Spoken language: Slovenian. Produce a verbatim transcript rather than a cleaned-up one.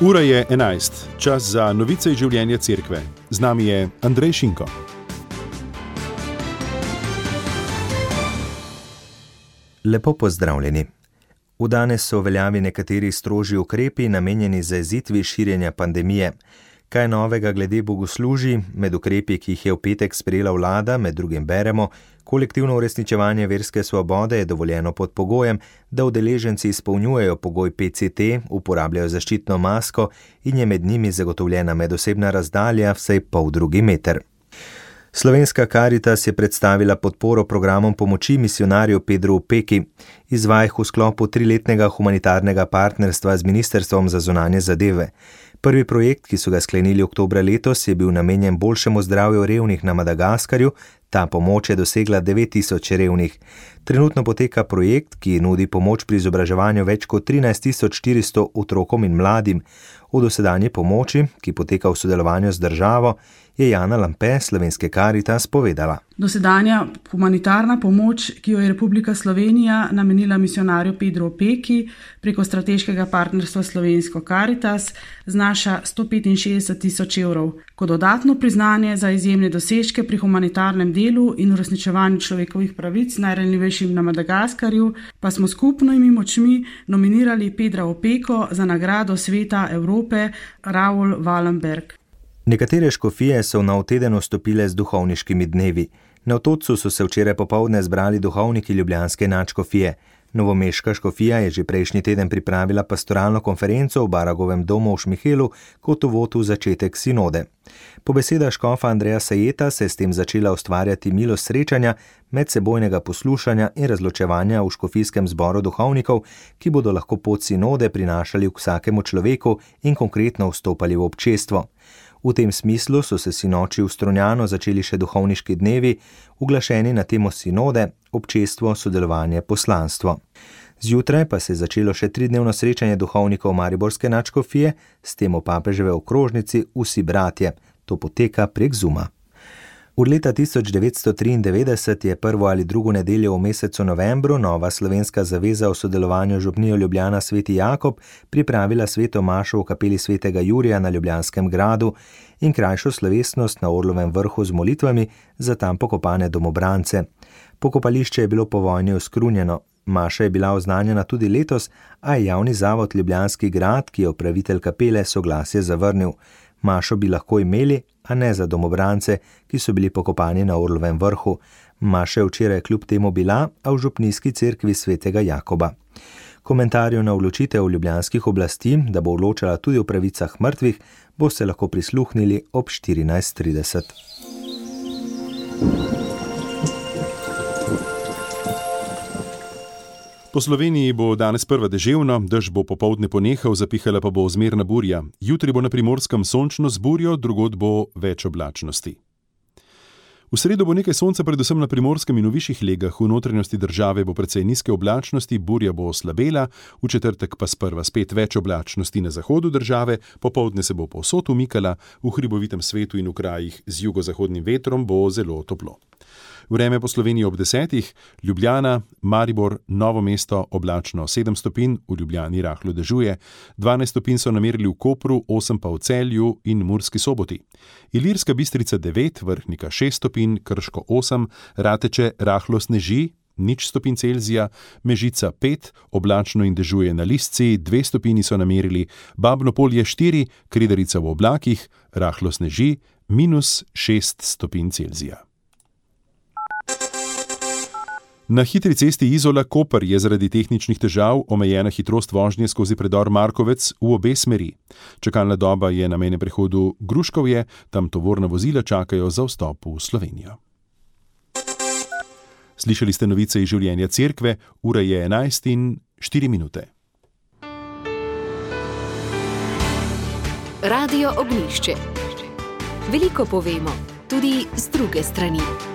Ura je enajst, čas za novice iz življenja cerkve. Z nami je Andrej Šinko. Lepo pozdravljeni. V danes so v veljavi nekateri strožji ukrepi, namenjeni zajezitvi širjenja pandemije. Kaj novega glede bogoslužij? Med ukrepi, ki jih je v petek sprejela vlada, med drugim beremo, kolektivno uresničevanje verske svobode je dovoljeno pod pogojem, da udeleženci izpolnjujejo pogoj P C T, uporabljajo zaščitno masko in je med njimi zagotovljena medosebna razdalja vsaj pol drugi meter. Slovenska Karitas je predstavila podporo programom pomoči misijonarju Pedru Opeki. Izvaja jih v sklopu triletnega humanitarnega partnerstva z Ministrstvom za zunanje zadeve. Prvi projekt, ki so ga sklenili oktobra letos, je bil namenjen boljšemu zdravju revnih na Madagaskarju. Ta pomoč je dosegla devet tisoč revnih. Trenutno poteka projekt, ki nudi pomoč pri izobraževanju več kot trinajst tisoč štiristo otrokom in mladim. O dosedanji pomoči, ki poteka v sodelovanju z državo, je Jana Lampe, Slovenske Karitas, povedala. Dosedanja humanitarna pomoč, ki jo je Republika Slovenija namenila misijonarju Pedru Opeki preko strateškega partnerstva Slovensko Karitas, znaša sto petinšestdeset tisoč evrov. Kot dodatno priznanje za izjemne dosežke pri humanitarnem delu in uresničevanju človekovih pravic najranljivejšim na Madagaskarju, pa smo skupnimi močmi nominirali Pedra Opeko za nagrado Sveta Evrope Raoul Wallenberg. Nekatere škofije so v nov teden vstopile z duhovniškimi dnevi. Na Otočcu so se včeraj popoldne zbrali duhovniki ljubljanske nadškofije. Novomeška škofija je že prejšnji teden pripravila pastoralno konferenco v Baragovem domu v Šmihelu kot uvod v začetek sinode. Po besedah škofa Andreja Sajeta se je s tem začela ustvarjati milost srečanja, medsebojnega poslušanja in razločevanja v škofijskem zboru duhovnikov, ki bodo lahko pot sinode prinašali k vsakemu človeku in konkretno vstopali v občestvo. V tem smislu so se sinoči v Strunjanu začeli še duhovniški dnevi, uglašeni na temo sinode, občestvo, sodelovanje, poslanstvo. Zjutraj pa se je začelo še tridnevno srečanje duhovnikov mariborske nadškofije s temo papeževe okrožnici Vsi bratje. To poteka prek Zooma. Od leta tisoč devetsto triindevetdeset je prvo ali drugo nedeljo v mesecu novembru Nova slovenska zaveza v sodelovanju župnijo Ljubljana Sveti Jakob pripravila sveto mašo v kapeli svetega Jurija na Ljubljanskem gradu in krajšo slovesnost na Orlovem vrhu z molitvami za tam pokopane domobrance. Pokopališče je bilo po vojni oskrunjeno. Maša je bila oznanjena tudi letos, a je javni zavod Ljubljanski grad, ki je upravitelj kapele, soglasje zavrnil. Mašo bi lahko imeli, a ne za domobrance, ki so bili pokopani na Orlovem vrhu. Maša je včeraj kljub temu bila, a v župnijski cerkvi svetega Jakoba. Komentarju na odločitev ljubljanskih oblasti, da bo odločala tudi o pravicah mrtvih, boste lahko prisluhnili ob štirinajst trideset. Po Sloveniji bo danes prva deževno, dež bo popoldne ponehal, zapihala pa bo zmerna burja. Jutri bo na Primorskem sončno z burjo, drugod bo več oblačnosti. V sredo bo nekaj sonca predvsem na Primorskem in v višjih legah, v notranjosti države bo precej nizke oblačnosti, burja bo oslabela, v četrtek pa sprva spet več oblačnosti na zahodu države, popoldne se bo povsod umikala, v hribovitem svetu in v krajih z jugozahodnim vetrom bo zelo toplo. Vreme po Sloveniji ob desetih, Ljubljana, Maribor, Novo mesto, oblačno sedem stopinj, v Ljubljani rahlo dežuje, dvanajst stopinj so namerili v Kopru, osem pa v Celju in Murski Soboti. Ilirska Bistrica devet, Vrhnika šest stopinj, Krško osem, Rateče rahlo sneži, nič stopinj Celzija, Mežica pet, oblačno in dežuje na Lisci, dve stopinji so namerili, Babno Polje štiri, Kredarica v oblakih, rahlo sneži, minus šest stopinj Celzija. Na hitri cesti Izola-Koper je zaradi tehničnih težav omejena hitrost vožnje skozi predor Markovec v obe smeri. Čakalna doba je na mejnem prehodu Gruškovje, tam tovorna vozila čakajo za vstop v Slovenijo. Slišali ste novice iz življenja cerkve, ura je enajst in štiri minute. Radio Ognjišče. Veliko povemo, tudi z druge strani.